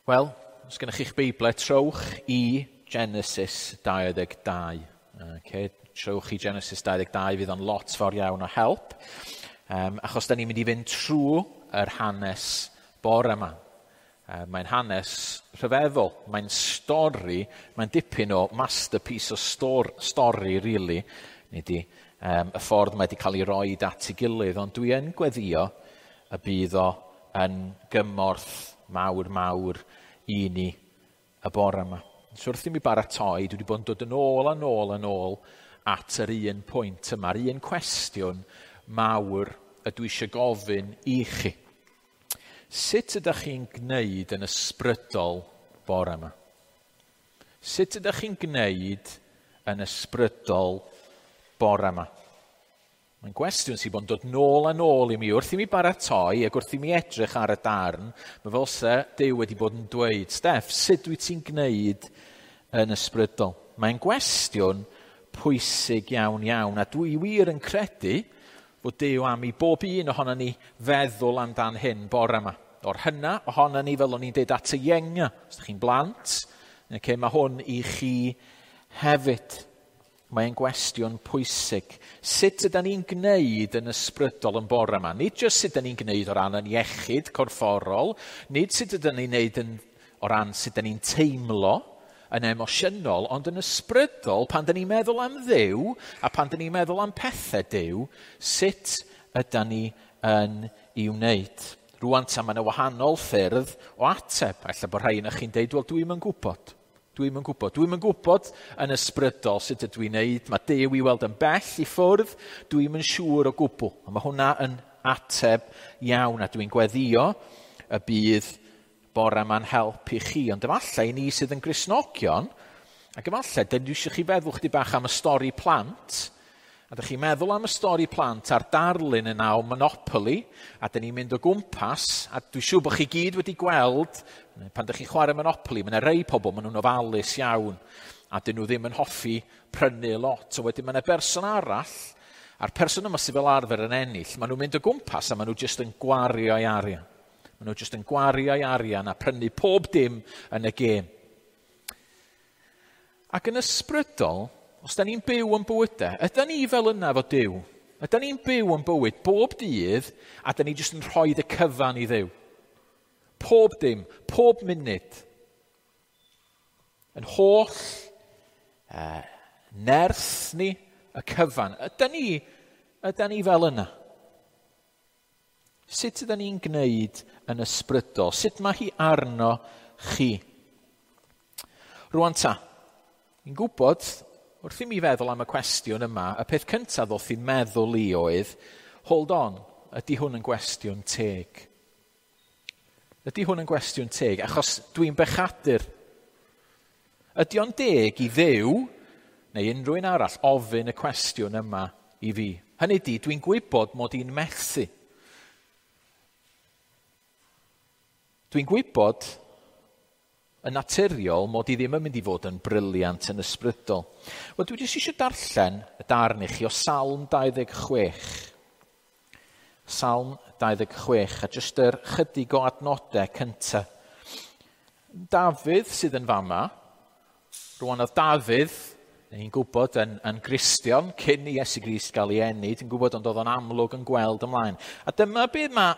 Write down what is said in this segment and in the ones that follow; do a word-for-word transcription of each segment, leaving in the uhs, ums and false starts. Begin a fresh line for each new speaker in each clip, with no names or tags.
Wel, os gennych chi'ch Beiblau, trowch i Genesis dau ddeg dau. Okay, trowch i Genesis dau ddeg dau, fydd o'n lot fawr iawn o help. Um, achos da ni'n mynd i fynd trwy yr hanes bore yma. Uh, mae'n hanes rhyfeddol, mae'n stori, mae'n dipyn o masterpiece o stor, stori, really, nid i, um, y ffordd mae wedi cael ei roid at ei gilydd, ond dwi yn gweddio y bydd o yn gymorth mawr, mawr i ni y bore yma. So wrth i mi baratoi, dwi wedi bod yn dod yn ôl a nôl a nôl at yr un pwynt yma, yr un cwestiwn mawr y dwi eisiau gofyn i chi. Sut ydych chi'n gwneud yn ysbrydol bore yma? Sut ydych chi'n gwneud yn ysbrydol bore yma? Mae'n gwestiwn sydd bod yn dod nôl a nôl i mi. Wrth i mi baratoi ac wrth i mi edrych ar y darn, mae fel se Duw wedi bod yn dweud, Steff, sut wyt ti'n gwneud yn ysbrydol? Mae'n gwestiwn pwysig iawn iawn, a dwi wir yn credu fod Duw am i bob un ohono ni feddwl amdan hyn bore yma. O'r hynna ohono ni, fel o'n i'n deud at y ienga, os ydych chi'n blant, okay, mae hwn i chi hefyd. Mae'n gwestiwn pwysig. Sut ydyn ni'n gwneud yn ysbrydol yn bore yma? Nid jyst sut ydyn ni'n gwneud o ran yn iechyd corfforol, nid sut ydyn ni'n gwneud yn, o ran sut ydyn ni'n teimlo yn emosiynol, ond yn ysbrydol, pan dyn ni'n meddwl am Dduw a pan dyn ni'n meddwl am pethau Duw, sut ydyn ni yn ei wneud? Rŵan ta, mae yna wahanol ffyrdd o ateb. Ella bod rhai yna chi'n deud, wel, dwi'm yn gwybod. Dwi'm yn gwybod. Dwi'm yn gwybod yn ysbrydol sut ydw i'n neud. Mae Duw i weld yn bell i ffwrdd. Dwi'm yn siŵr o gwbl. A mae hwnna yn ateb iawn, a dwi'n gweddio y bydd bore yma'n help i chi. Ond efallai ni sydd yn Gristnogion, ac efallai, dyn dwi eisiau chi feddwl chdi bach am y stori plant, a dych chi'n meddwl am y stori plant a'r darlun yna o Monopoly, a dyn ni'n mynd o gwmpas, a dwi'n siŵr bod chi gyd wedi gweld, pan dych chi'n chwarae Monopoly, mae yna rei pobl, maen nhw'n ofalus iawn, a dyn nhw ddim yn hoffi prynu lot. So wedyn mae yna berson arall, a'r person yma sydd fel arfer yn ennill, maen nhw'n mynd o gwmpas a maen nhw jyst yn gwario ei arian. Maen nhw jyst yn gwario ei arian a prynu pob dim yn y gêm. Ac yn ysbrydol, os da ni'n byw yn bywydau, ydy ni fel yna fo Duw? Ydy ni'n byw yn bywyd bob dydd a da ni jyst yn rhoi y cyfan i Dduw? Pob dim, pob munud. Yn holl uh, nerth ni, y cyfan. Ydy ni, ydy ni fel yna? Sut ydy ni'n gwneud yn ysbrydol? Sut mae hi arno chi? Rŵan ta, ni'n gwybod, wrth i mi feddwl am y cwestiwn yma, y peth cyntaf ddoth i'n meddwl i oedd, hold on, ydy hwn yn gwestiwn teg? Ydy hwn yn gwestiwn teg? Achos dwi'n bechadur. Ydy o'n deg i Dduw, neu unrhyw un arall, ofyn y cwestiwn yma i fi? Hynny ydy, dwi'n gwybod mod i'n methu. Dwi'n gwybod yn naturiol mod i ddim yn mynd i fod yn briliant yn ysbrydol. Wel, dwi jyst eisiau darllen y darn i chi o Salm dau ddeg chwech. Salm dau ddeg chwech, a jyst yr chydig o adnodau cyntaf. Dafydd sydd yn fama, rwan oedd Dafydd, ni'n gwybod, yn, yn Gristion, cyn i Iesu Grist gael ei eni, dwi'n gwybod, ond oedd o'n amlwg yn gweld ymlaen. A dyma beth mae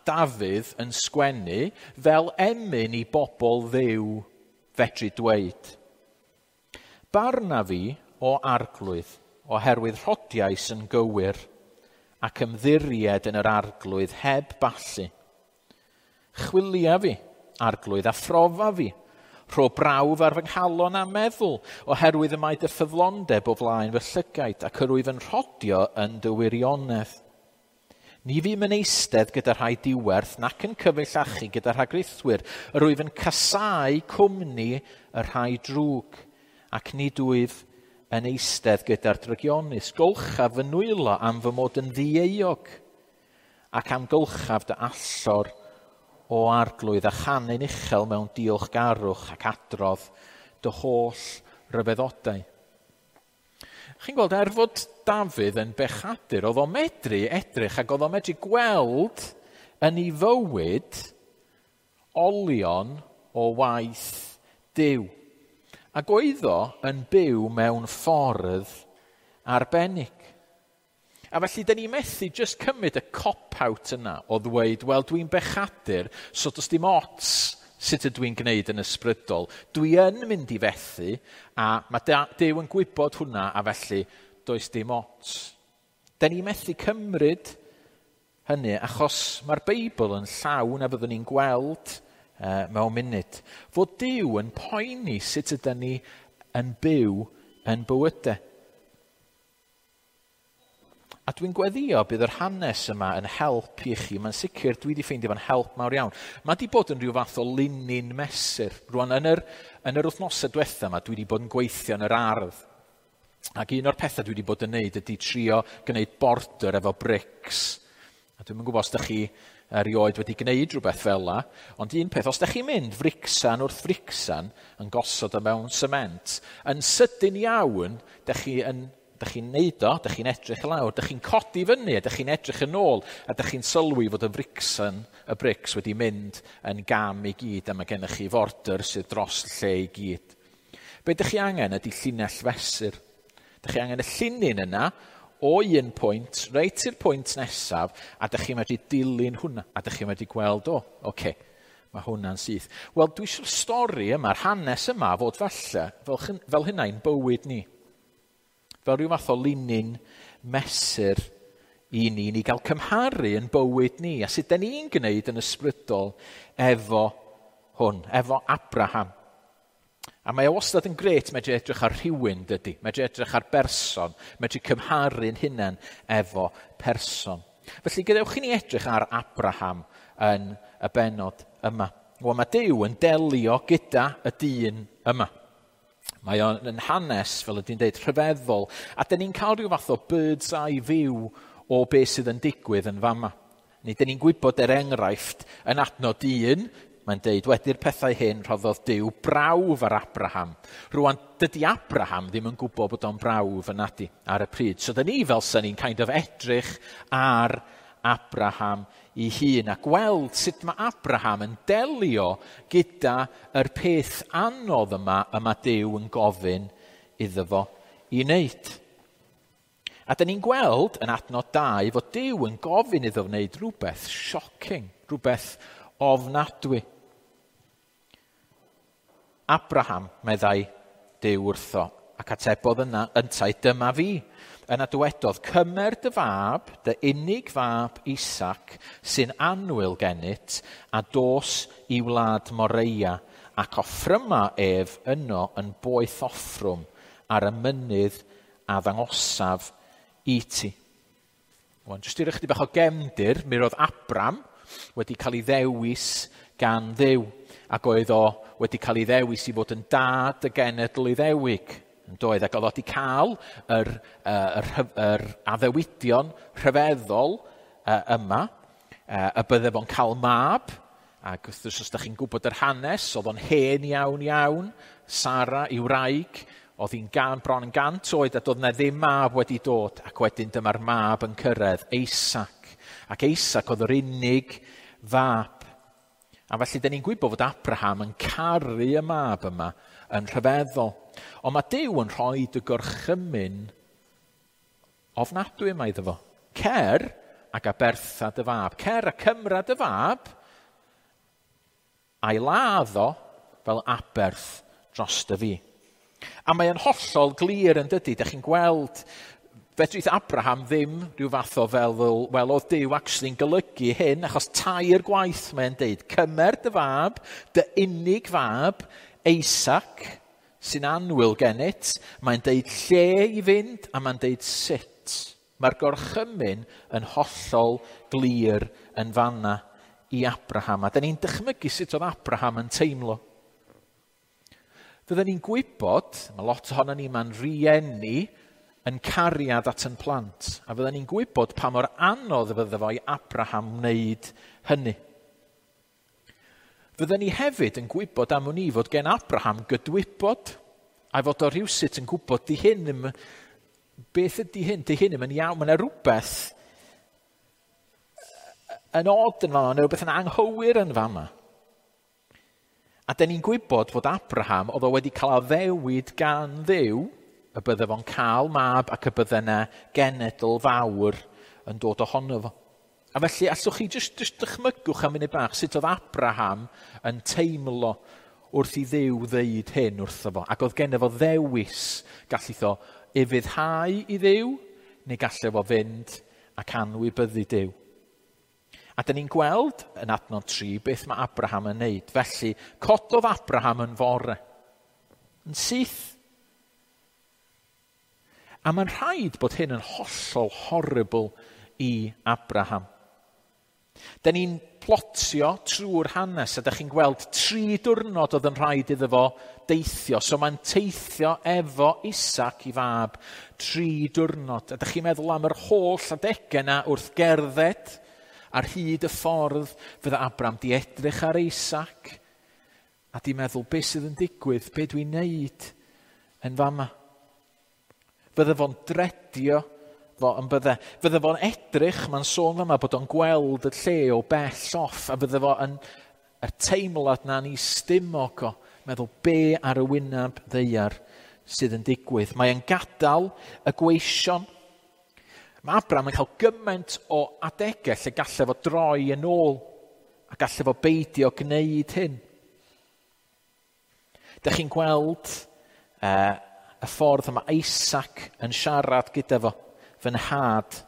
Dafydd yn sgwennu fel emyn i bobl Dduw fedru dweud. Barna fi o arglwydd, oherwydd rhodiais yn gywir, ac ymddiried yn yr arglwydd heb ballu. Chwilia fi, arglwydd, a phrofa fi, rho brawf ar fy nghalon a meddwl, oherwydd y mae dy ffyddlondeb o flaen fy llygaid, ac yr wyf yn rhodio yn dy wirionedd. Ni fûm yn eistedd gyda rhai diwerth, nac yn cyfeillachu gyda rhagrithwyr. Yr wyf yn casáu cwmni y rhai drwg, ac nid wyf yn eistedd gyda'r drygionus. Golchaf fy nwylo am fy mod yn ddieuog, ac amgylchaf dy allor o arglwydd, a chanu'n uchel mewn diolchgarwch ac adrodd dy holl ryfeddodau. Chi'n gweld, er fod Dafydd yn bechadur, oedd o'n medru edrych ac oedd o'n medru gweld yn ei fywyd olion o waith Duw. Ac oedd o yn byw mewn ffordd arbennig. A felly, dyn ni methu just cymryd y cop-out yna o ddweud, wel, dwi'n bechadur, so does dim ots sut ydw i'n gwneud yn ysbrydol. Dwi yn mynd i fethu, a mae Duw yn gwybod hwnna, a felly does dim ots. Dyn ni methu cymryd hynny, achos mae'r Beibl yn llawn, a fyddwn ni'n gweld uh, mewn munud, fod Duw yn poeni sut ydyn ni yn byw yn bywydau. A dwi'n gweddio bydd yr hanes yma yn help i chi. Mae'n sicr dwi wedi ffeindio fo'n help mawr iawn. Mae wedi bod yn rhyw fath o linyn mesur. Rwan, yn yr, yn yr wythnosau diwetha yma, dwi wedi bod yn gweithio yn yr ardd. Ac un o'r pethau dwi wedi bod yn neud ydy trio gwneud border efo brics. A dwi'm yn gwybod os ydych chi erioed wedi gwneud rhywbeth fel la, ond un peth, os ydych chi'n mynd fricsan wrth fricsan yn gosod o mewn sement, yn sydyn iawn, ydych chi yn Dych chi'n neud o, dych chi'n edrych lawr, dych chi'n codi fyny, dych chi'n edrych yn ôl, a dych chi'n sylwi fod y fricsan, y brics wedi mynd yn gam i gyd, a mae gennych chi forder sydd dros lle i gyd. Be dych chi angen ydy llinell fesur. Dych chi angen y llinyn yna o un pwynt, reit i'r pwynt nesaf, a dych chi'n medru dilyn hwnna, a dych chi'n medru gweld, o, oce, okay, mae hwnna'n syth. Wel, dwi eisiau'r stori yma'r hanes yma, fod falle, fel, fel hynna i'n bywyd ni. Fel rhyw fath o linyn mesur i ni, ni gael cymharu yn bywyd ni, a sut da ni'n gwneud yn ysbrydol efo hwn, efo Abraham. A mae o wastad yn gret medru edrych ar rhywun, dydy, medru edrych ar berson, medru cymharu'n hunan efo person. Felly gadewch i ni edrych ar Abraham yn y bennod yma. Wel, mae Duw yn delio gyda y dyn yma. Mae o'n hanes, fel ydy'n dweud, rhyfeddol. A dyn ni'n cael rhyw fath o bird's eye view o beth sydd yn digwydd yn fama. Neu dyn ni'n gwybod er enghraifft yn adnod un, mae'n deud, wedi'r pethau hyn rhoddodd Duw brawf ar Abraham. Rwan, dydy Abraham ddim yn gwybod bod o'n brawf yn adi ar y pryd. So dyn ni fel sy'n ni'n kind of edrych ar Abraham i hun a gweld sut mae Abraham yn delio gyda yr peth anodd yma y mae Duw yn gofyn iddo fo i wneud. A dyn ni'n gweld yn adnod dau fod Duw yn gofyn iddo wneud rhywbeth shocking, rhywbeth ofnadwy. Abraham, meddai Duw wrtho, ac atebodd yna yntau, dyma fi. Yna dywedodd, cymer dy fab, dy unig fab Isaac, sy'n annwyl gennyt, a dos i wlad Moreia, ac offryma ef yno yn boeth offrwm ar y mynydd a ddangosaf i ti. Wan, jyst i roi chydig bach o gefndir, mi roedd Abram wedi cael ei ddewis gan Dduw, ac oedd o wedi cael ei ddewis i fod yn dad y genedl Iddewig. Yn doedd, ac oedd o wedi cael yr, yr, yr addewidion rhyfeddol yma, y bydde fo'n cael mab, ac wrth gwrs os ydych chi'n gwybod yr hanes, oedd o'n hen iawn iawn, Sara i wraig, oedd hi'n gan, bron yn gant oed, a doedd na ddim mab wedi dod, ac wedyn dyma'r mab yn cyrraedd, Isaac. Ac Isaac oedd yr unig fab. A felly, dyn ni'n gwybod fod Abraham yn caru y mab yma yn rhyfeddol. Ond mae Duw yn rhoi dy gorchymyn ofnadwy yma iddo fo. Cer ac abertha dy fab. Cer a cymra dy fab a'i ladd o fel aberth dros dy fi. A mae yn hollol glir yn dydy. Dych chi'n gweld, fedrith Abraham ddim rhyw fath o fel, wel, oedd Duw actually'n golygu hyn, achos tair gwaith mae'n deud, cymer dy fab, dy unig fab, Isaac, sy'n annwyl gennyt, mae'n deud lle i fynd, a mae'n deud sut. Mae'r gorchymyn yn hollol glir yn fanna i Abraham. A dyn ni'n dychmygu sut oedd Abraham yn teimlo. Fydden ni'n gwybod, mae lot ohono ni ma'n rieni yn cariad at yn plant, a fydden ni'n gwybod pa mor anodd fydde fo i Abraham wneud hynny. Fydden ni hefyd yn gwybod am wn i fod gen Abraham gydwybod, a fod o rhywsut yn gwybod di hyn, beth ydy hyn, di hyn yn iawn, mae yna rhywbeth yn odd yn fama, neu rhywbeth yn anghywir yn fama. A da ni'n gwybod fod Abraham, oedd o wedi cael addewid gan Dduw, y bydde fo'n cael mab ac y bydde yna genedl fawr yn dod ohono fo. A felly, allwch chi jyst, jyst dychmygwch am munud bach sut oedd Abraham yn teimlo wrth i Dduw ddeud hyn wrtho fo. Ac oedd genno fo ddewis, gallith o ufuddhau i Dduw, neu gallai fo fynd ac anwybyddu Duw. A dyn ni'n gweld yn adnod tri beth mae Abraham yn neud. Felly, cododd Abraham yn fore. Yn syth. A mae'n rhaid bod hyn yn hollol horrible i Abraham. Dyn ni'n plotio trwy'r hanes, a dych chi'n gweld tri diwrnod oedd yn rhaid iddo fo deithio. So mae'n teithio efo Isaac i fab tri diwrnod. A dych chi'n meddwl am yr holl adegau yna wrth gerdded ar hyd y ffordd fydda Abraham di edrych ar Isaac a di meddwl beth sydd yn digwydd, be dwi'n neud yn fama. Fydda fo'n dredio fo yn bydde. Fydda fo'n edrych, mae'n sôn fama bod o'n gweld y lle o bell off, a fydda fo yn y teimlad na'n ei stumog o, meddwl be ar y wyneb ddaear sydd yn digwydd. Mae'n gadael y gweision. Mae Abraham yn cael gymaint o adegau lle gallai fo droi yn ôl a gallai fo beidio gwneud hyn. Dych chi'n gweld uh, y ffordd yma Isaac yn siarad gyda fo, fy nhad,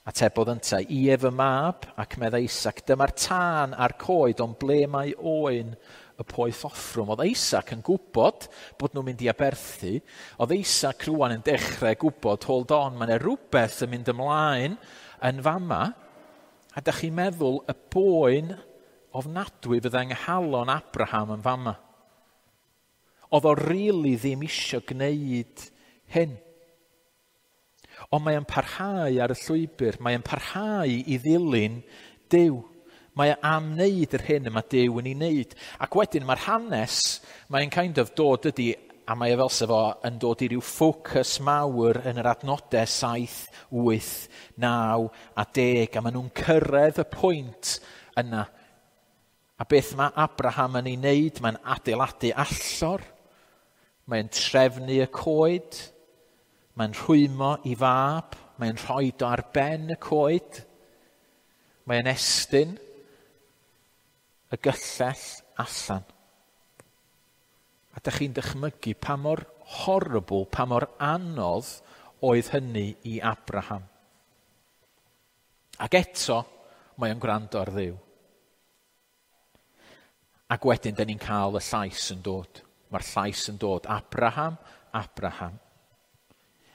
atebodd yntau, ie fy mab, ac meddai Isaac, dyma'r tân a'r coed, ond ble mae oen y poeth offrwm. Oedd Isaac yn gwybod bod nhw'n mynd i aberthu. Oedd Isaac rwan yn dechrau gwybod, hold on, mae yna rhywbeth yn mynd ymlaen yn fama. A dach chi'n meddwl y boen ofnadwy fydda yng nghalon Abraham yn fama. Oedd o rili ddim isio gwneud hyn. Ond mae o'n parhau ar y llwybr, mae o'n parhau i ddilyn Duw. Mae o am wneud yr hyn y mae Duw yn ei wneud. Ac wedyn mae'r hanes, mae'n kind of dod ydi, a mae o fel sef o yn dod i ryw ffocws mawr yn yr adnodau saith, wyth, naw a deg, a maen nhw'n cyrraedd y pwynt yna. A beth mae Abraham yn ei wneud? Mae'n adeiladu allor, mae'n trefnu y coed, mae'n rhwymo i fab, mae'n rhoi o ar ben y coed, mae'n estyn y gyllell allan. A dych chi'n dychmygu pa mor horrible, pa mor anodd oedd hynny i Abraham. Ac eto, mae o'n gwrando ar Dduw. Ac wedyn, dyn ni'n cael y llais yn dod. Mae'r llais yn dod. Abraham, Abraham.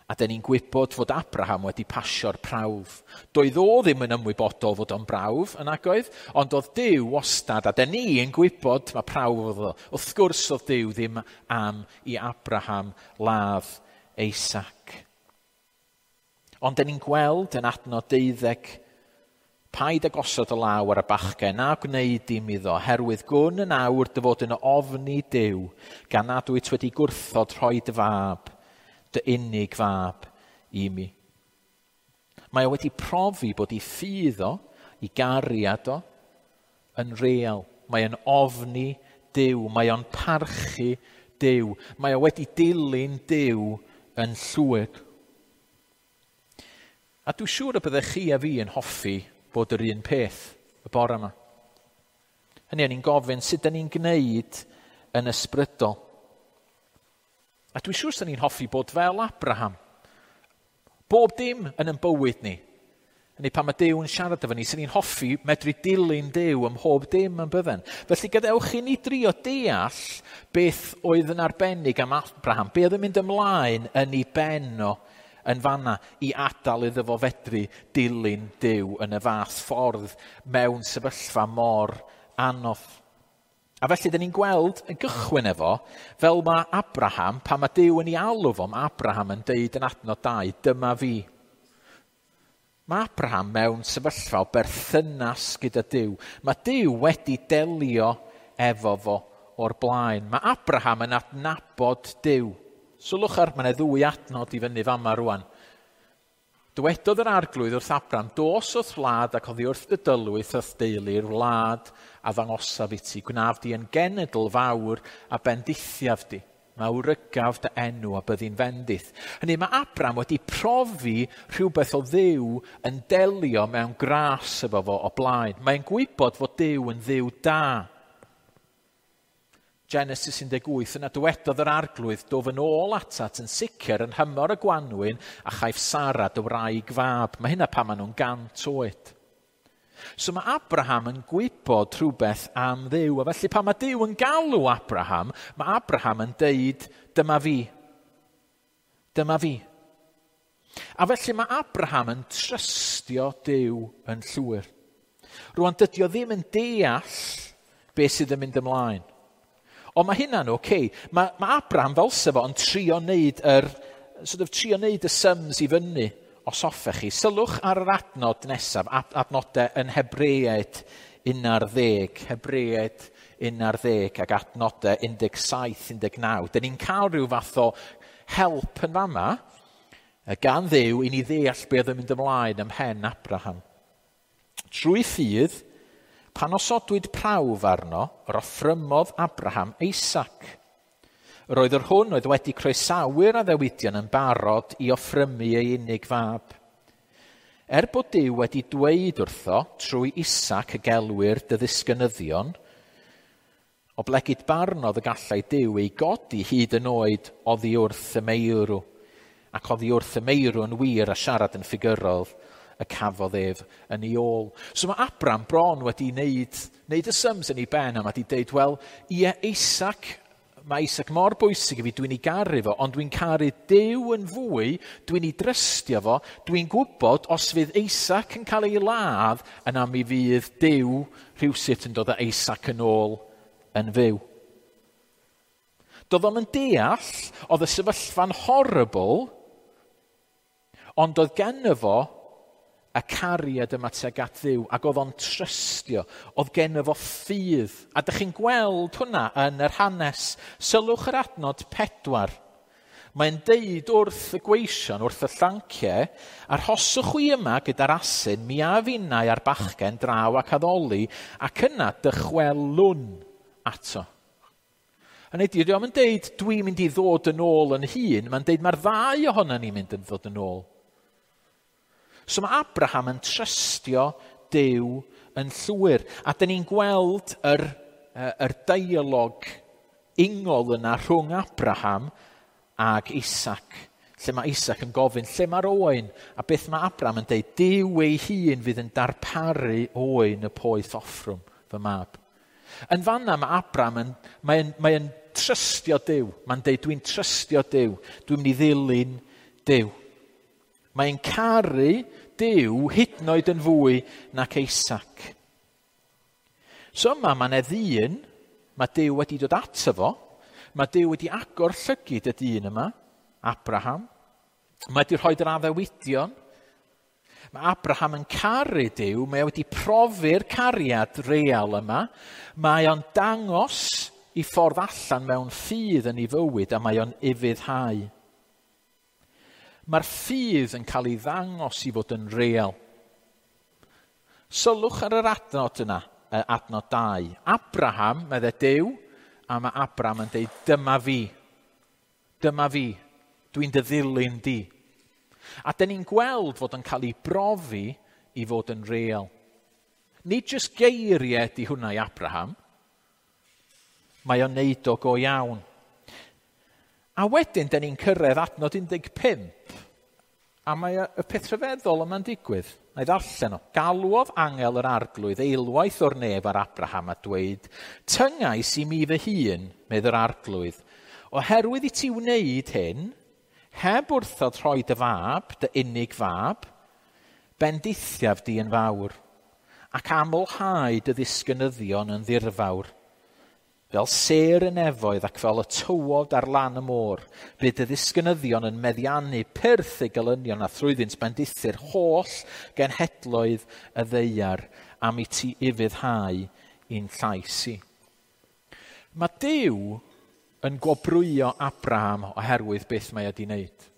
A dyn ni'n gwybod fod Abraham wedi pasio'r prawf. Doedd o ddim yn ymwybodol fod o'n brawf yn agoedd, ond oedd Duw wastad, a dyn ni yn gwybod mae prawf oedd o. Wrth gwrs oedd Duw ddim am i Abraham ladd Isaac. Ond dyn ni'n gweld yn adnod deuddeg, paid ag osod y law ar y bachgen, na gwneud dim iddo, herwydd gwn yn awr dy fod yn ofni Duw, gan nad wyt wedi gwrthod rhoi dy fab, dy unig fab i mi. Mae o wedi profi bod ei ffydd o, ei gariad o, yn real. Mae o'n ofni Duw, mae o'n parchu Duw, mae o wedi dilyn Duw yn llwyr. A dwi'n siŵr y byddech chi a fi yn hoffi bod yr un peth y bore yma. Hynny, o'n i'n gofyn sut dan ni'n gwneud yn ysbrydol. A dwi'n siŵr sy'n ni'n hoffi bod fel Abraham. Bob dim yn ein bywyd ni. Hynny, pan mae Duw yn siarad efo ni, sy'n ni'n hoffi medru dilyn Duw ym mhob dim yn bydden. Felly gadewch i ni drio deall beth oedd yn arbennig am Abraham, be oedd yn mynd ymlaen yn ei ben o yn fanna i adael iddo fo fedru dilyn Duw yn y fath ffordd mewn sefyllfa mor anodd. A felly, dyn ni'n gweld yn gychwyn efo, fel mae Abraham, pan mae Duw yn ei alw fo, mae Abraham yn deud yn adnod dau, dyma fi. Mae Abraham mewn sefyllfa o berthynas gyda Duw. Mae Duw wedi delio efo fo o'r blaen. Mae Abraham yn adnabod Duw. Sylwch ar, mae yna ddwy adnod i fyny fama rwan. Dywedodd yr Arglwydd wrth Abram, dos wrth wlad ac oddi wrth dy dylwyth wrth deulu'r wlad a ddangosaf i ti. Gwnaf di yn genedl fawr a bendithiaf di. Mawrygaf dy enw a byddi'n fendith. Hynny, mae Abram wedi profi rhywbeth o Dduw yn delio mewn gras efo fo o blaen. Mae'n gwybod fod Duw yn Dduw da. Genesis un deg wyth, yna dywedodd yr Arglwydd, dof yn ôl atat yn sicr yn nhymor y gwanwyn a chaiff Sara dy wraig fab. Mae hynna pan maen nhw'n gant oed. So mae Abraham yn gwybod rhywbeth am Dduw, a felly pan mae Duw yn galw Abraham, mae Abraham yn deud, dyma fi, dyma fi. A felly mae Abraham yn trystio Duw yn llwyr. Rwan dydy o ddim yn deall beth sydd yn mynd ymlaen. Ond mae hynna'n oce. Okay. Mae, mae Abraham fel sef o yn trio wneud yr, sort of, trio wneud y sums i fyny, os hoffech chi. Sylwch ar yr adnod nesaf, adnodau yn Hebreaid un ar ddeg, Hebreaid un ar ddeg ac adnodau un deg saith, un deg naw. Dyn ni'n cael rhyw fath o help yn fama gan Dduw i ni ddeall beth oedd yn mynd ymlaen ym mhen Abraham. Trwy ffydd, pan osodwyd prawf arno, yr offrymodd Abraham Isaac. Yr oedd yr hwn oedd wedi croesawu'r addewidion yn barod i offrymu ei unig fab. Er bod Duw wedi dweud wrtho trwy Isaac y gelwir dy ddisgynyddion, oblegid barnodd y gallai Duw ei godi hyd yn oed oddi wrth y meirw, ac oddi wrth y meirw yn wir a siarad yn ffigurol y cafodd ef yn ei ôl. So mae Abram bron wedi wneud, wneud y sums yn ei ben a mae wedi deud, wel, ie, Isaac, mae Isaac mor bwysig i fi, dwi'n ei garu fo, ond dwi'n caru Duw yn fwy, dwi'n ei drystio fo, dwi'n gwybod os fydd Isaac yn cael ei ladd, yna mi fydd Duw rhywsut yn dod â Isaac yn ôl yn fyw. Doedd o'm yn deall, oedd y sefyllfa'n horrible, ond oedd genno fo y cariad yma tuag at Dduw, ac oedd o'n trystio, oedd genno fo ffydd. A dych chi'n gweld hwnna yn yr hanes. Sylwch yr adnod pedwar. Mae'n deud wrth y gweision, wrth y llanciau, arhoswch chwi yma gyda'r asyn, mi a finnau a'r bachgen draw ac addoli, ac yna dychwelwn ato. Hynny ydy, dio'm yn deud dwi'n mynd i ddod yn ôl yn hun, mae'n deud mae'r ddau ohonon ni'n mynd yn ddod yn ôl. So mae Abraham yn trystio Duw yn llwyr. A dyn ni'n gweld yr, yr dialog ingol yna rhwng Abraham ag Isaac. Lle mae Isaac yn gofyn, lle mae'r oen? A beth mae Abraham yn deud, Duw ei hun fydd yn darparu oen y poeth offrwm, fy mab. Yn fanna mae Abraham yn, mae'n, mae'n trystio Duw. Mae'n deud, dwi'n trystio Duw. Dwi'n mynd i ddilyn Duw. Mae'n caru Duw hyd yn oed yn fwy nac Isaac. So yma mae 'na ddyn, mae Duw wedi dod ato fo, mae Duw wedi agor llygid y dyn yma, Abraham. Mae wedi rhoi'r addewidion. Mae Abraham yn caru Duw, mae wedi profi'r cariad real yma. Mae o'n dangos i ffordd allan mewn ffydd yn ei fywyd a mae o'n ufuddhau. Mae'r ffydd yn cael ei ddangos i fod yn real. Sylwch ar yr adnod yna, adnod dau. Abraham, medde Duw, a mae Abraham yn deud, dyma fi, dyma fi, dwi'n dy ddilyn di. A dyn ni'n gweld fod yn cael ei brofi i fod yn real. Nid jyst geiriau di hwnna i Abraham, mae o'n neud o go iawn. A wedyn, dyn ni'n cyrraedd adnod un deg pump, a mae y peth rhyfeddol yma'n digwydd. Na i ddarllen o. Galwodd angel yr Arglwydd eilwaith o'r nef ar Abraham a dweud, tyngais i mi fy hun, medd yr Arglwydd, oherwydd i ti wneud hyn, heb wrthod rhoi dy fab, dy unig fab, bendithiaf di yn fawr, ac amlhau dy ddisgynyddion yn ddirfawr. Fel sêr y nefoedd ac fel y tywod ar lan y môr, bydd y ddisgynyddion yn meddiannu pyrth eu gelynion a thrwyddynt bendithu'r holl genhedloedd y ddaear am i ti ufuddhau i'n llais i. Mae Duw yn gwobrwyo Abraham oherwydd beth mae wedi wneud.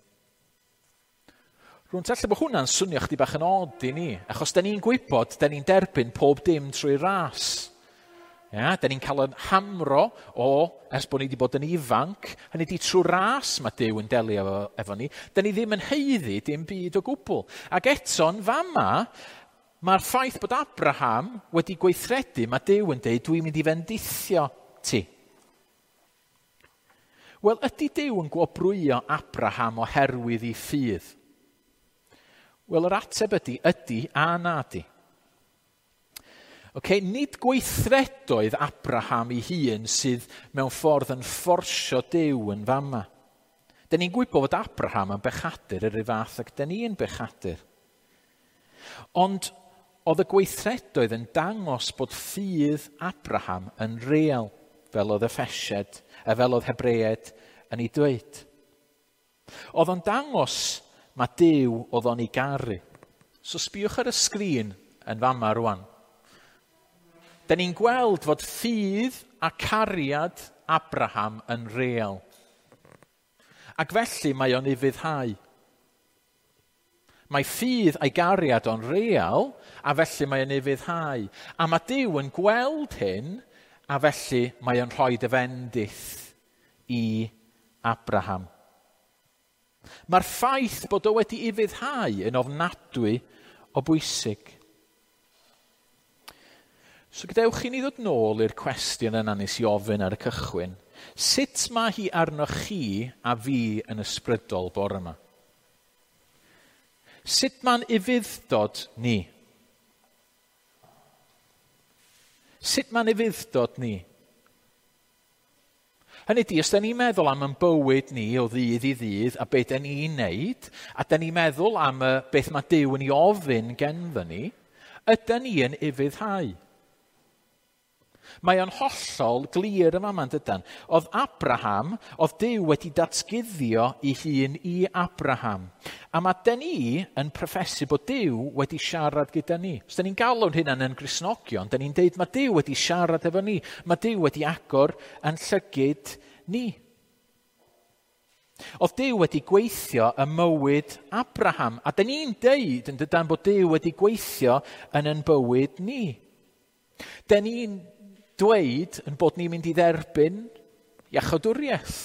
Rwy'n tella bod hwnna'n swnio chdi bach yn od i ni, achos da ni'n gwybod, da ni'n derbyn pob dim trwy ras. Ia, da ni'n cael yn hamro o, ers bod ni wedi bod yn ifanc, hynny di trwy ras mae Duw yn delio efo, efo ni, da ni ddim yn haeddu dim byd o gwbl. Ac eto'n fama, mae'r ffaith bod Abraham wedi gweithredu, mae Duw yn dweud, dwi'n mynd i fendithio ti. Wel, ydy Duw yn gwobrwyo Abraham oherwydd ei ffydd? Wel, yr ateb ydy, ydy a na di. Okay, nid gweithredoedd Abraham ei hun sydd mewn ffordd yn fforsio Duw yn fama. Da ni'n gwybod fod Abraham yn bechadur yr un fath ac da ni'n bechadur. Ond oedd y gweithredoedd yn dangos bod ffydd Abraham yn real, fel oedd Effesiaid, a fel oedd Hebreaid yn ei dweud. Oedd o'n dangos mae Duw oedd o'n ei garu. So sbiwch ar y sgrin yn fama rwan. Da ni'n gweld fod ffydd a cariad Abraham yn real. Ac felly mae o'n ufuddhau. Mae ffydd a'i gariad o'n real, a felly mae o'n ufuddhau. A mae Duw yn gweld hyn, a felly mae o'n rhoi y fendith i Abraham. Mae'r ffaith bod o wedi ufuddhau yn ofnadwy o bwysig. So gadewch i ni ddod nôl i'r cwestiwn yna nes i ofyn ar y cychwyn. Sut mae hi arnoch chi a fi yn ysbrydol bore yma? Sut mae'n ufudd-dod ni? Sut mae'n ufudd-dod ni? Hynny ydi, os da ni'n meddwl am ein bywyd ni o ddydd i ddydd a beth da ni'n neud, a da ni'n meddwl am y beth mae Duw yn ei ofyn genddo ni, ydy ni yn ufuddhau? Mae o'n hollol glir yma ma'n dydan. Oedd Abraham, oedd Duw wedi datguddio ei hun i Abraham. A mae dyn ni yn proffesu bod Duw wedi siarad gyda ni. Os dyn ni'n galw'n hynna'n yn Gristnogion, dyn ni'n deud mae Duw wedi siarad efo ni. Mae Duw wedi agor yn llygid ni. Oedd Duw wedi gweithio ym mywyd Abraham. A dyn ni'n deud yn dydan bod Duw wedi gweithio yn yn bywyd ni. Dyn ni'n dweud yn bod ni'n mynd i dderbyn iachawdwriaeth.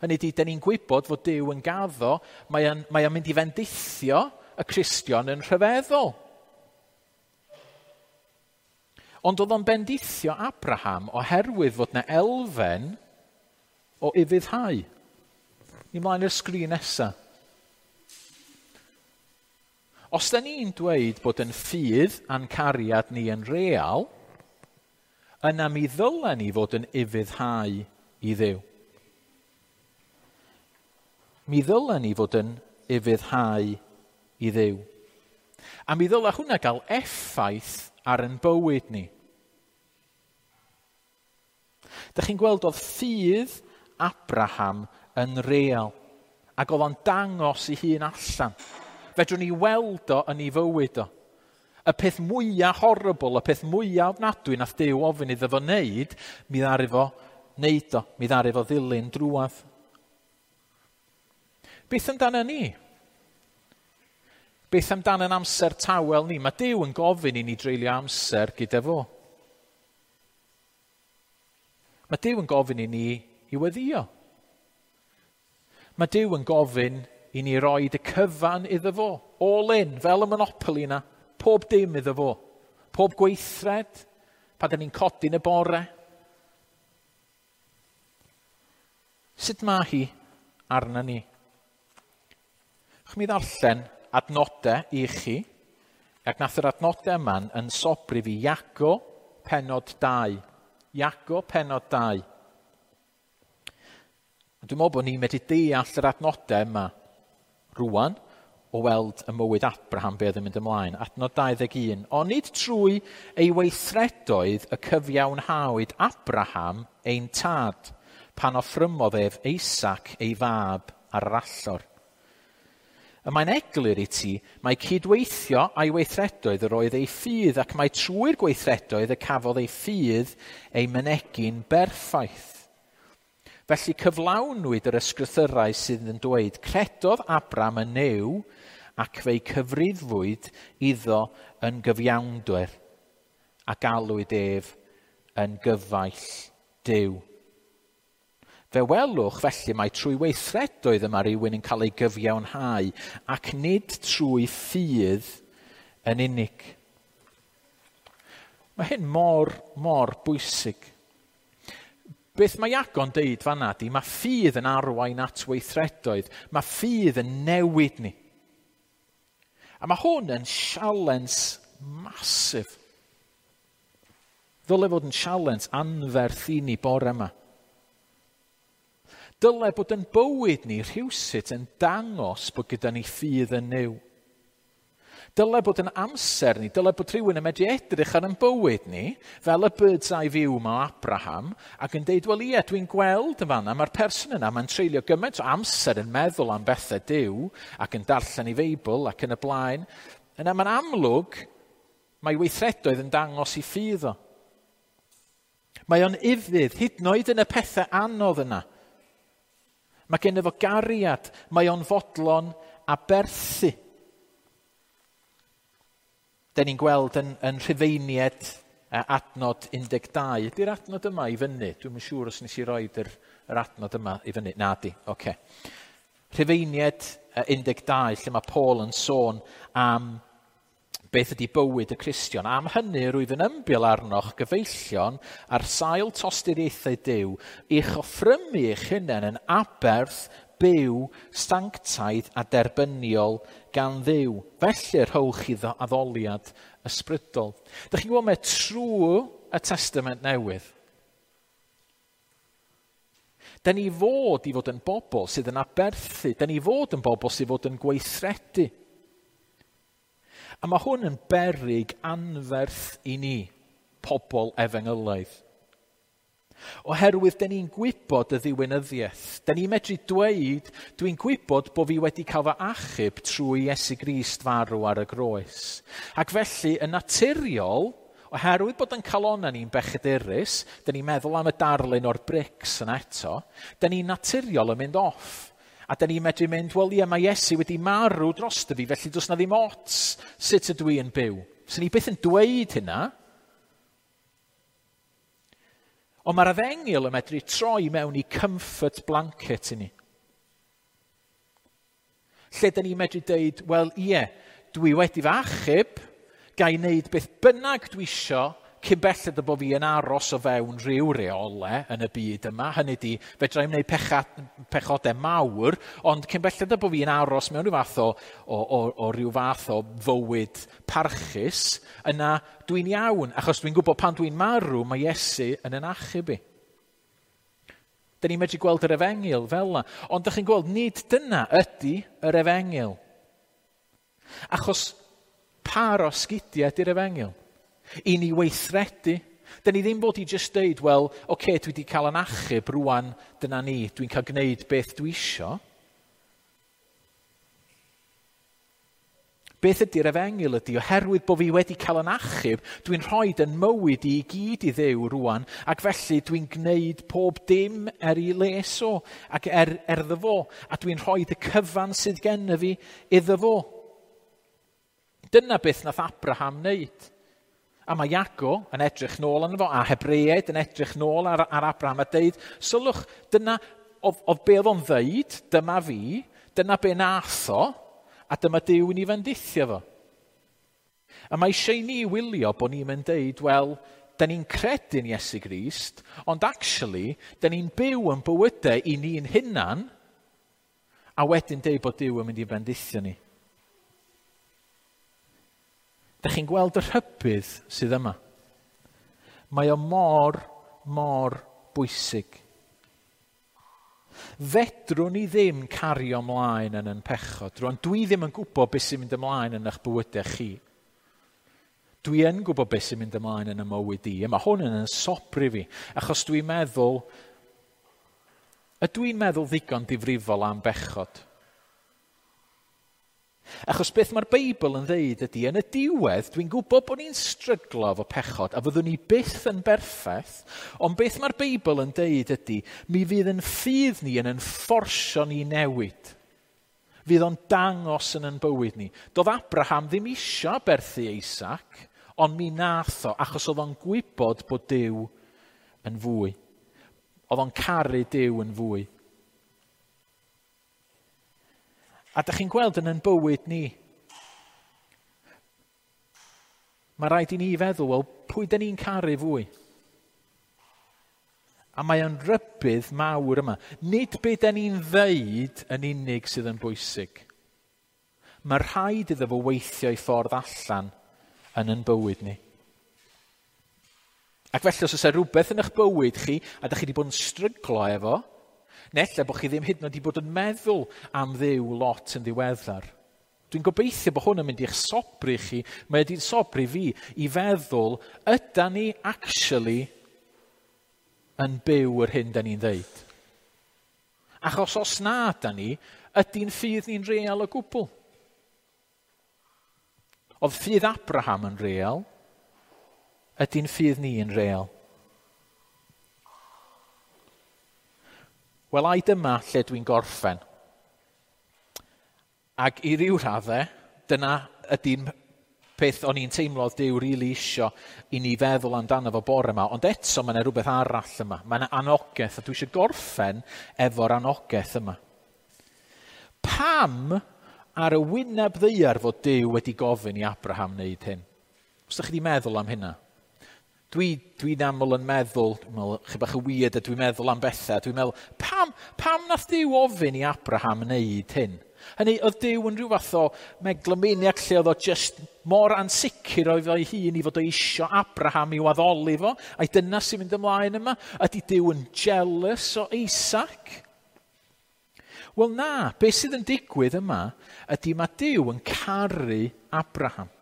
Hynny ydi, dyn ni'n gwybod fod Duw yn gaddo, mae o'n, mae o'n mynd i fendithio y Cristion yn rhyfeddol. Ond oedd o'n bendithio Abraham oherwydd fod na elfen o ufuddhau. Ni mlaen i'r sgrin nesaf. Os da ni'n dweud bod yn ffydd a'n cariad ni yn real, yna mi ddylen ni fod yn ufuddhau i Dduw. Mi ddylen ni fod yn ufuddhau i Dduw. A mi ddyla hwnna gael effaith ar ein bywyd ni. Dych chi'n gweld oedd ffydd Abraham yn real, ac oedd o'n dangos ei hun allan. Fedrwn ni weld o yn ei fywyd o. Y peth mwyaf horrible, y peth mwyaf ofnadwy nath Duw ofyn iddo fo wneud, mi ddaru fo wneud o, mi ddaru fo ddilyn drwadd. Beth amdano ni? Beth amdano yn amser tawel ni? Mae Duw yn gofyn i ni dreulio amser gyda fo. Mae Duw yn gofyn i ni i weddïo. Mae Duw yn gofyn i ni roid y cyfan iddo fo. All in, fel y Monopoly yna. Pob dim iddo fo. Pob gweithred, pan da ni'n codi yn y bore. Sut mae hi arna ni? Chw mi ddarllen adnodau i chi, ac nath yr adnodau yma yn sobri fi Iago pennod dau. Iago pennod dau. A dwi'n meddwl bod ni'n medru deall yr adnodau yma rwan, o weld y mywyd Abraham be oedd yn mynd ymlaen. Adnod dau ddeg un. Onid trwy ei weithredoedd y cyfiawnhawyd Abraham ein tad, pan offrymodd ef Isaac ei fab ar yr allor. Y mae'n eglur i ti, mae cydweithio a'i weithredoedd yr oedd ei ffydd, ac mae trwy'r gweithredoedd y cafodd ei ffydd ei mynegi'n berffaith. Felly cyflawnwyd yr ysgrythyrau sydd yn dweud, credodd Abram yn Nuw ac fe'i cyfrifwyd iddo yn gyfiawnder a galwyd ef yn gyfaill Duw. Fe welwch felly mai trwy weithredoedd yma rhywun yn cael ei gyfiawnhau ac nid trwy ffydd yn unig. Mae hyn mor, mor bwysig. Beth mae Iago'n deud fan'na 'di, mae ffydd yn arwain at weithredoedd. Mae ffydd yn newid ni. A mae hwn yn sialens masif. Ddyle fod yn sialens anferth i ni bore yma. Dyle bod yn bywyd ni rhywsut yn dangos bod gyda ni ffydd yn Nuw. Dyle bod yn amser ni, dyle bod rhywun yn medru edrych ar yn bywyd ni, fel y bird's eye view ma o Abraham, ac yn deud, wel ie, dwi'n gweld yn fanna, mae'r person yna, mae'n treulio gymaint o amser yn meddwl am bethau Duw, ac yn darllen ei Feibl, ac yn y blaen. Yna mae'n amlwg, mae weithredoedd yn dangos i ffydd o. Mae o'n ufudd, hyd yn oed yn y pethau anodd yna. Mae gen fo gariad, mae o'n fodlon aberthu. Da ni'n gweld yn, yn Rhufeiniaid adnod un deg dau. Ydy'r adnod yma i fyny? Dwi'm yn siŵr os nes i roed yr, yr adnod yma i fyny. Na di, oce. Okay. Rhufeiniaid un deg dau, lle mae Paul yn sôn am beth ydy bywyd y Cristion. Am hynny, rwyf yn ymbil arnoch gyfeillion ar sail tosturiaethau Duw, i'ch offrymu eich hunain yn aberth byw, sanctaidd a derbyniol gan Dduw. Felly rhowch iddo addoliad ysbrydol. Dych chi'n gwybod mae trwy y Testament Newydd, da ni fod i fod yn bobl sydd yn aberthu, da ni fod yn bobl sydd fod yn gweithredu. A mae hwn yn beryg anferth i ni, pobl efengylaidd. Oherwydd, da ni'n gwybod y ddiwinyddiaeth. Da ni'n medru dweud, dwi'n gwybod bod fi wedi cael fy achub trwy Iesu Grist farw ar y groes. Ac felly, yn naturiol, oherwydd bod yn calonnau ni'n bechadurus, da ni'n meddwl am y darlun o'r brics yna eto, da ni'n naturiol yn mynd off. A da ni'n medru mynd, wel ie, mae Iesu wedi marw drosto fi, felly does na ddim ots sut ydw i yn byw. So ni byth yn dweud hynna. Ond mae'r efengyl yn medru troi mewn i comfort blanket i ni. Lle da ni'n medru deud, wel ie, dwi wedi fy achub, ga i wneud beth bynnag dwi isio, cyn belled y bod fi yn aros o fewn rhyw reole yn y byd yma. Hynny di, fedra i'm wneud pecha, pechodau mawr, ond cyn belled y bod fi yn aros mewn rhyw fath o, o, o, o rhyw fath o fywyd parchus, yna dwi'n iawn, achos dwi'n gwybod pan dwi'n marw, mae Iesu yn yn achub i. Da ni'n medru gweld yr efengyl fel yna. Ond dych chi'n gweld, nid dyna ydy yr efengyl. Achos par o sgidiau ydy'r efengyl. I ni weithredu. Da ni ddim bod i just deud, wel, oce, okay, dwi wedi cael yn achub rwan, dyna ni, dwi'n cael gwneud beth dwi isio. Beth ydy'r efengyl ydy, oherwydd bod fi wedi cael yn achub, dwi'n rhoi yn mywyd i gyd i Dduw rwan, ac felly dwi'n gwneud pob dim er i les o, ac er, er iddo fo, a dwi'n rhoi y cyfan sydd gen fi iddo fo. Dyna beth nath Abraham wneud. A mae Iago yn edrych nôl arno fo, a Hebreaid yn edrych nôl ar, ar Abraham a deud, sylwch, dyna, oedd, oedd be oedd o'n ddeud, dyma fi, dyna be nath o, a dyma Duw yn ei fendithio fo. A mae eisiau i ni wylio bod ni'n mynd deud, wel, da ni'n credu'n Iesu Grist, ond actually, da ni'n byw yn bywydau i ni'n hunan, a wedyn deud bod Duw yn mynd i fendithio ni. Da chi'n gweld y rhybudd sydd yma. Mae o mor, mor bwysig. Fedrwn ni ddim cario ymlaen yn yn pechod. Rwan, dwi ddim yn gwybod beth sy'n mynd ymlaen yn eich bywydau chi. Dwi yn gwybod beth sy'n mynd ymlaen yn y mywyd i. A mae hwn yn yn sobri fi. Achos dwi'n meddwl, ydw i'n meddwl ddigon difrifol am bechod? Achos beth mae'r Beibl yn ddeud ydy, yn y diwedd, dwi'n gwybod bod ni'n stryglo efo pechod, a fyddwn ni byth yn berffaith, ond beth mae'r Beibl yn deud ydy, mi fydd yn ffydd ni yn yn fforsio ni newid. Fydd o'n dangos yn yn bywyd ni. Doedd Abraham ddim isio aberthu Isaac, ond mi nath o, achos oedd o'n gwybod bod Duw yn fwy. Oedd o'n caru Duw yn fwy. A dych chi'n gweld yn yn bywyd ni, mae rhaid i ni feddwl, wel, pwy dyn ni'n caru fwy? A mae o'n rybudd mawr yma. Nid be dyn ni'n ddeud yn unig sydd yn bwysig. Mae rhaid iddo fo weithio ei ffordd allan yn yn bywyd ni. Ac felly, os oes e rhywbeth yn eich bywyd chi, a dych chi wedi bod yn stryglo efo, neu ella bod chi ddim hyd yn oed wedi bod yn meddwl am Dduw lot yn ddiweddar. Dwi'n gobeithio bod hwn yn mynd i'ch sobri chi, mae wedi'n sobri fi, i feddwl, ydan ni actually yn byw yr hyn da ni'n ddeud? Achos os na da ni, ydy'n ffydd ni'n real o gwbl? Oedd ffydd Abraham yn real, ydy'n ffydd ni yn real? Wel, ai dyma lle dwi'n gorffen. Ac i ryw raddau, dyna ydy'n peth o'n i'n teimlo oedd Duw rili isio i ni feddwl amdano fo bore yma. Ond eto mae yna rhywbeth arall yma. Mae yna anogaeth, a dwi eisiau gorffen efo'r anogaeth yma. Pam ar y wyneb ddaear fod Duw wedi gofyn i Abraham wneud hyn? Os ydych chi wedi meddwl am hynna? Dwi, dwi'n aml yn meddwl, dwi'n meddwl, chi bach yn weird a dwi'n meddwl am bethau, dwi'n meddwl, pam, pam nath Duw ofyn i Abraham wneud hyn? Hynny, oedd Duw yn rhyw fath o megalomaniac lle oedd o just mor ansicr oedd o'i hun i fod o isio Abraham i'w addoli fo, a'i dyna sy'n mynd ymlaen yma? Ydy Duw yn jealous o Isaac? Wel na, beth sydd yn digwydd yma ydy mae Duw yn caru Abraham.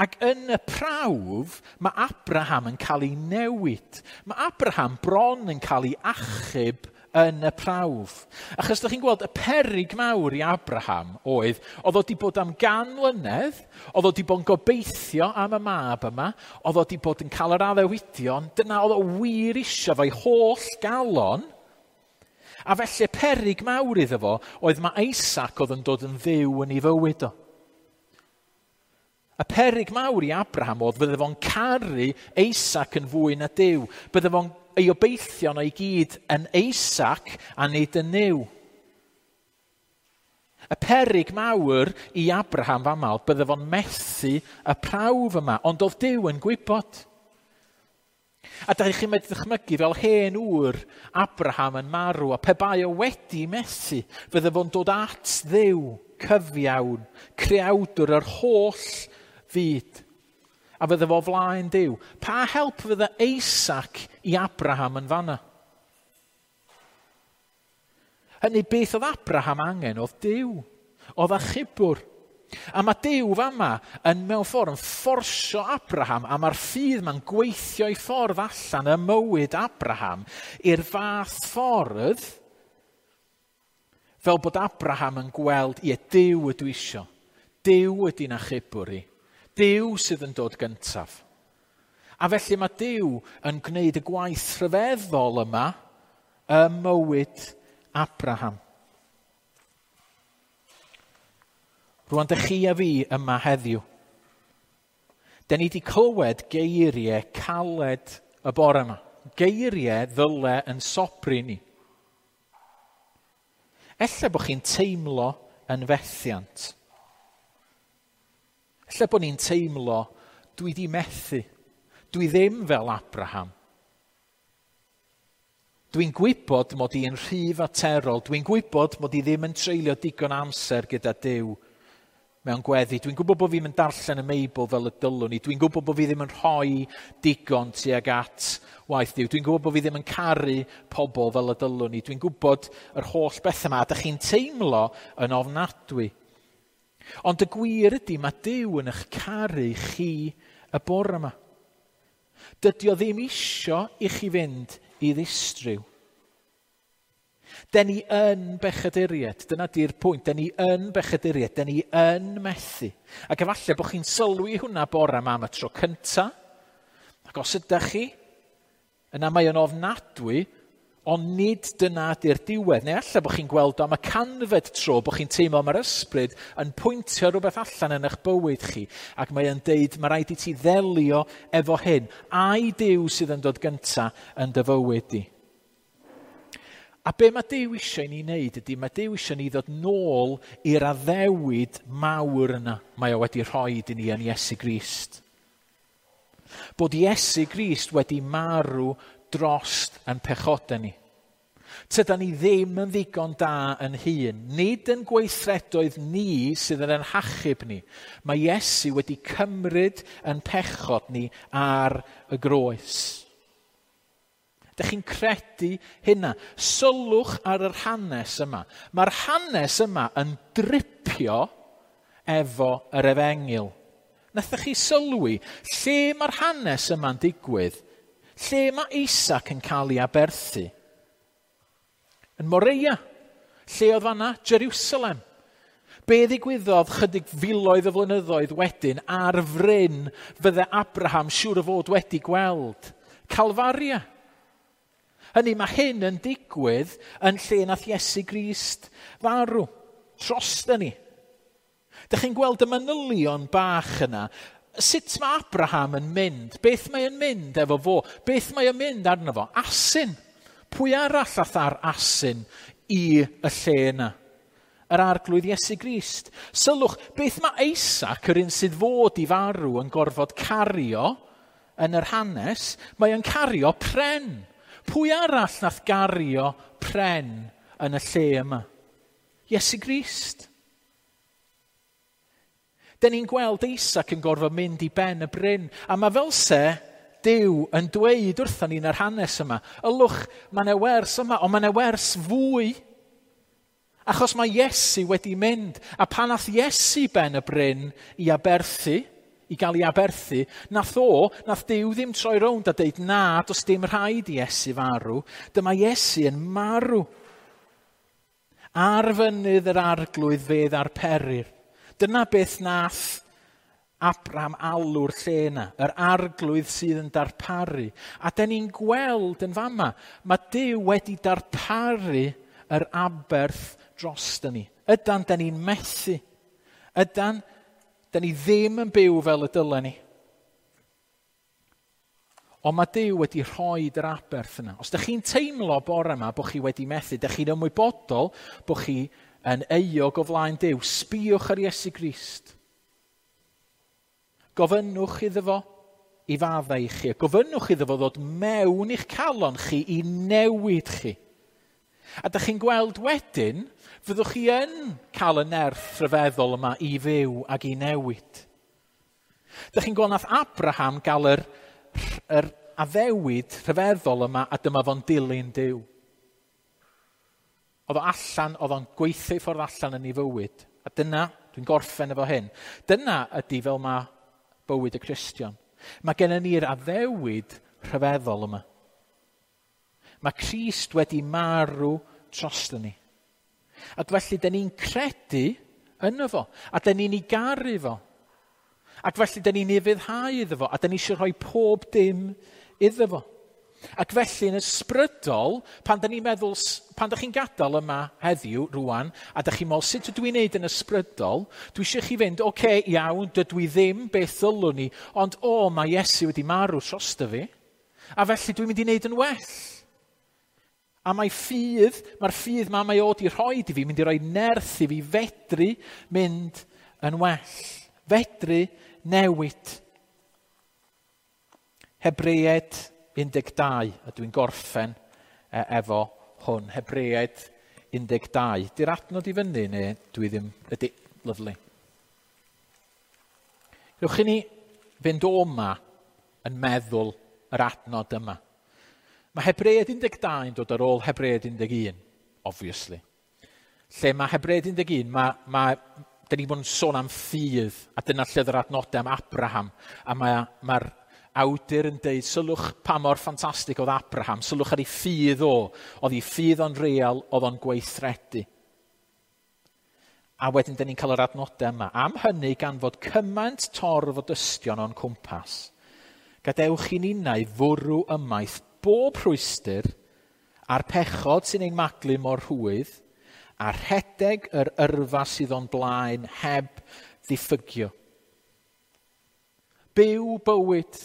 Ac yn y prawf, mae Abraham yn cael ei newid. Mae Abraham bron yn cael ei achub yn y prawf. Achos ydych chi'n gweld, y peryg mawr i Abraham oedd, oedd o wedi bod am gan mlynedd, oedd o wedi bod yn gobeithio am y mab yma, oedd o wedi bod yn cael yr addewidion, dyna oedd o wir isio fo'i holl galon. A felly peryg mawr iddo fo oedd mae Isaac oedd yn dod yn dduw yn ei fywyd o. Y peryg mawr i Abraham oedd fydde fo'n caru Isaac yn fwy na Duw. Bydde fo'n ei obeithion o'i gyd yn Isaac a nid yn Nuw. Y peryg mawr i Abraham fama oedd bydde fo'n methu y prawf yma, ond oedd Duw yn gwybod. A da chi'n medru ddychmygu fel hen ŵr Abraham yn marw, a pe bai o wedi methu, fydde fo'n dod at Dduw cyfiawn, creawdwr yr holl fyd. A fydde fo flaen Duw. Pa help fydde Isaac i Abraham yn fanna? Hynny, beth oedd Abraham angen oedd Duw, oedd achubwr. A mae Duw fama yn mewn ffordd yn fforsio Abraham, a mae'r ffydd ma'n gweithio i ffordd allan ym mywyd Abraham i'r fath ffordd fel bod Abraham yn gweld, ie, Duw ydw isio. Duw ydy'n achubwr i. Duw sydd yn dod gyntaf. A felly mae Duw yn gwneud y gwaith rhyfeddol yma ym mywyd Abraham. Rwan, dych chi a fi yma heddiw. Da ni wedi clywed geiriau caled y bore yma. Geiriau ddyle yn sobri ni. Ella bod chi'n teimlo yn fethiant. Ella bod ni'n teimlo, dwi di methu. Dwi ddim fel Abraham. Dwi'n gwybod mod i'n rhy faterol. Dwi'n gwybod mod i ddim yn treulio digon amser gyda Duw mewn gweddi. Dwi'n gwybod bod fi'n darllen y Meibl fel y dylwn i. Dwi'n gwybod bod fi ddim yn rhoi digon tuag at waith Duw. Dwi'n gwybod bod fi ddim yn caru pobl fel y dylwn i. Dwi'n gwybod yr holl bethau yma. A dych chi'n teimlo yn ofnadwy. Ond y gwir ydy, mae Duw yn eich caru chi y bore yma. Dydy o ddim isio i chi fynd i ddistryw. Den ni yn bechaduriaid, dyna di'r pwynt, den ni yn bechaduriaid, den ni yn methu. Ac efallai bod chi'n sylwi hwnna bore yma am y tro cynta, ac os ydych chi, yna mae o'n ofnadwy, ond nid dyna di'r diwedd. Neu allai bod chi'n gweld o am y canfed tro, bod chi'n teimlo mae'r ysbryd yn pwyntio rhywbeth allan yn eich bywyd chi, ac mae o'n deud, mae rhaid i ti ddelio efo hyn. Ai Duw sydd yn dod gynta yn dy fywyd di? A be mae Duw eisiau ni wneud ydy, mae Duw eisiau ni ddod nôl i'r addewid mawr yna mae o wedi rhoi i ni yn Iesu Grist. Bod Iesu Grist wedi marw drost yn pechodau ni. Tydan ni ddim yn ddigon da yn hun. Nid yn gweithredoedd ni sydd yn ein hachub ni. Mae Iesu wedi cymryd yn pechod ni ar y groes. Dych chi'n credu hynna? Sylwch ar yr hanes yma. Mae'r hanes yma yn dripio efo yr efengyl. Nathoch chi sylwi lle mae'r hanes yma'n digwydd? Lle mae Isaac yn cael ei aberthu? Yn Moreia. Lle oedd fanna? Jerusalem. Be ddigwyddodd chydig filoedd o flynyddoedd wedyn ar fryn fydde Abraham siŵr o fod wedi gweld? Calfaria. Hynny, mae hyn yn digwydd yn lle nath Iesu Grist farw. Drosta ni. Dych chi'n gweld y manylion bach yna. Sut mae Abraham yn mynd? Beth mae yn mynd efo fo? Beth mae yn mynd arno fo? Asyn. Pwy arall ath ar asyn i y lle yna? Yr arglwydd Iesu Grist. Sylwch, beth mae Isaac, yr un sydd fod i farw, yn gorfod cario yn yr hanes? Mae yn cario pren. Pwy arall nath gario pren yn y lle yma? Iesu Grist. Den ni'n gweld Isaac yn gorfod mynd i ben y bryn, a mae fel se Duw yn dweud wrthon ni yn yr hanes yma, ylwch, mae yna wers yma, ond mae yna wers fwy. Achos mae Iesu wedi mynd, a pan nath Iesu ben y bryn i aberthu, i gael ei aberthu, nath o, nath Duw ddim troi rownd a deud, na, does dim rhaid i Iesu farw. Dyma Iesu yn marw. Ar fynydd yr arglwydd fe ddarperir. Dyna beth nath Abraham alw'r lle yna, yr arglwydd sydd yn darparu. A den ni'n gweld yn fama, mae Duw wedi darparu yr aberth drosta ni. Ydan, den ni'n methu. Ydan, den ni ddim yn byw fel y dylen ni. Ond mae Duw wedi rhoi yr aberth yna. Os ydych chi'n teimlo bore yma bod chi wedi methu, ydych chi'n ymwybodol bod chi yn euog o flaen Duw, sbïwch ar Iesu Grist. Gofynnwch iddo fo i faddau i chi. Gofynnwch iddo fo ddod mewn i'ch calon chi i newid chi. A dych chi'n gweld wedyn, fyddwch chi yn cael y nerth rhyfeddol yma i fyw ac i newid. Dych chi'n gweld nath Abraham gael yr, yr addewid rhyfeddol yma a dyma fo'n dilyn Duw. Oedd o allan, oedd o'n gweithio i ffordd allan yn ei fywyd. A dyna, dwi'n gorffen efo hyn, dyna ydy fel mae bywyd y Cristion. Mae gennym ni'r addewid rhyfeddol yma. Mae Crist wedi marw drosto ni. Ac felly, dyn ni'n credu yno fo, a dyn ni'n ei garu fo. Ac felly, dyn ni'n ufuddhau iddo fo, a dyn ni eisiau rhoi pob dim iddo fo. Ac felly, yn ysbrydol, pan dyn ni'n meddwl, pan dych chi'n gadael yma heddiw, rwan, a dych chi'n meddwl, sut ydw i'n neud yn ysbrydol, dwi eisiau chi fynd, oce, okay, iawn, dydw i ddim beth ddylwn ni, ond o, mae Iesu wedi marw drosto fi, a felly dwi'n mynd i wneud yn well. A mae ffydd, mae'r ffydd ma mae o di rhoi i fi, mynd i roi nerth i fi fedru mynd yn well. Fedru newid. Hebreaid un deg dau, a dwi'n gorffen efo hwn. Hebreaid un deg dau. Di'r adnod i fyny neu dwi ddim... Ydy, lyfli. Gewch chi ni fynd o yma yn meddwl yr adnod yma. Mae Hebreaid un deg dau yn dod ar ôl Hebreaid un deg un, obviously. Lle mae Hebreaid un deg un, mae, mae, dyn ni bod yn sôn am ffydd, a dyna lle yr adnodau am Abraham, a mae'r mae awdur yn deud, sylwch pa mor ffantastig oedd Abraham, sylwch ar ei ffydd o, oedd ei ffydd o'n real, oedd o'n gweithredu. A wedyn, dyn ni'n cael yr adnodau yma. Am hynny, gan fod cymaint torf o dystion o'n cwmpas, gadewch i ninnau fwrw ymaith bob rhwystr a'r pechod sy'n ein maglu mor rhwydd, a rhedeg yr yrfa sydd o'n blaen heb ddiffygio. Byw bywyd.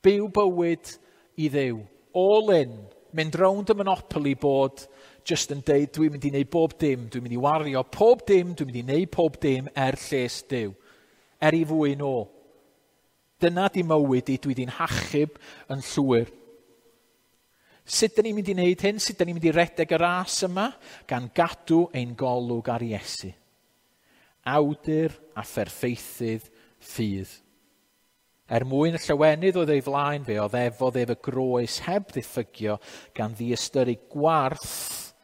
Byw bywyd i Dduw. All in. Mynd rownd y Monopoly board just yn deud, "Dwi'n mynd i wneud bob dim, dwi'n mynd i wario pob dim, dwi'n mynd i wneud pob dim er lles Duw. Er ei fwyn o. Dyna di mywyd i, dwi di'n hachub yn llwyr." Sut dyn ni'n mynd i wneud hyn? Sut dyn ni'n mynd i redeg y ras yma? Gan gadw ein golwg ar Iesu. Awdur a pherffeithydd ffydd. Er mwyn y llawenydd oedd ei flaen, fe oddefodd ef y groes heb ddiffygio, gan ddiystyru gwarth,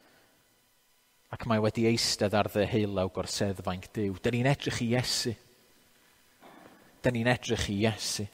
ac mae wedi eistedd ar ddeheulaw gorseddfainc Duw. Dyn ni'n edrych i Iesu. Dyn ni'n edrych i Iesu.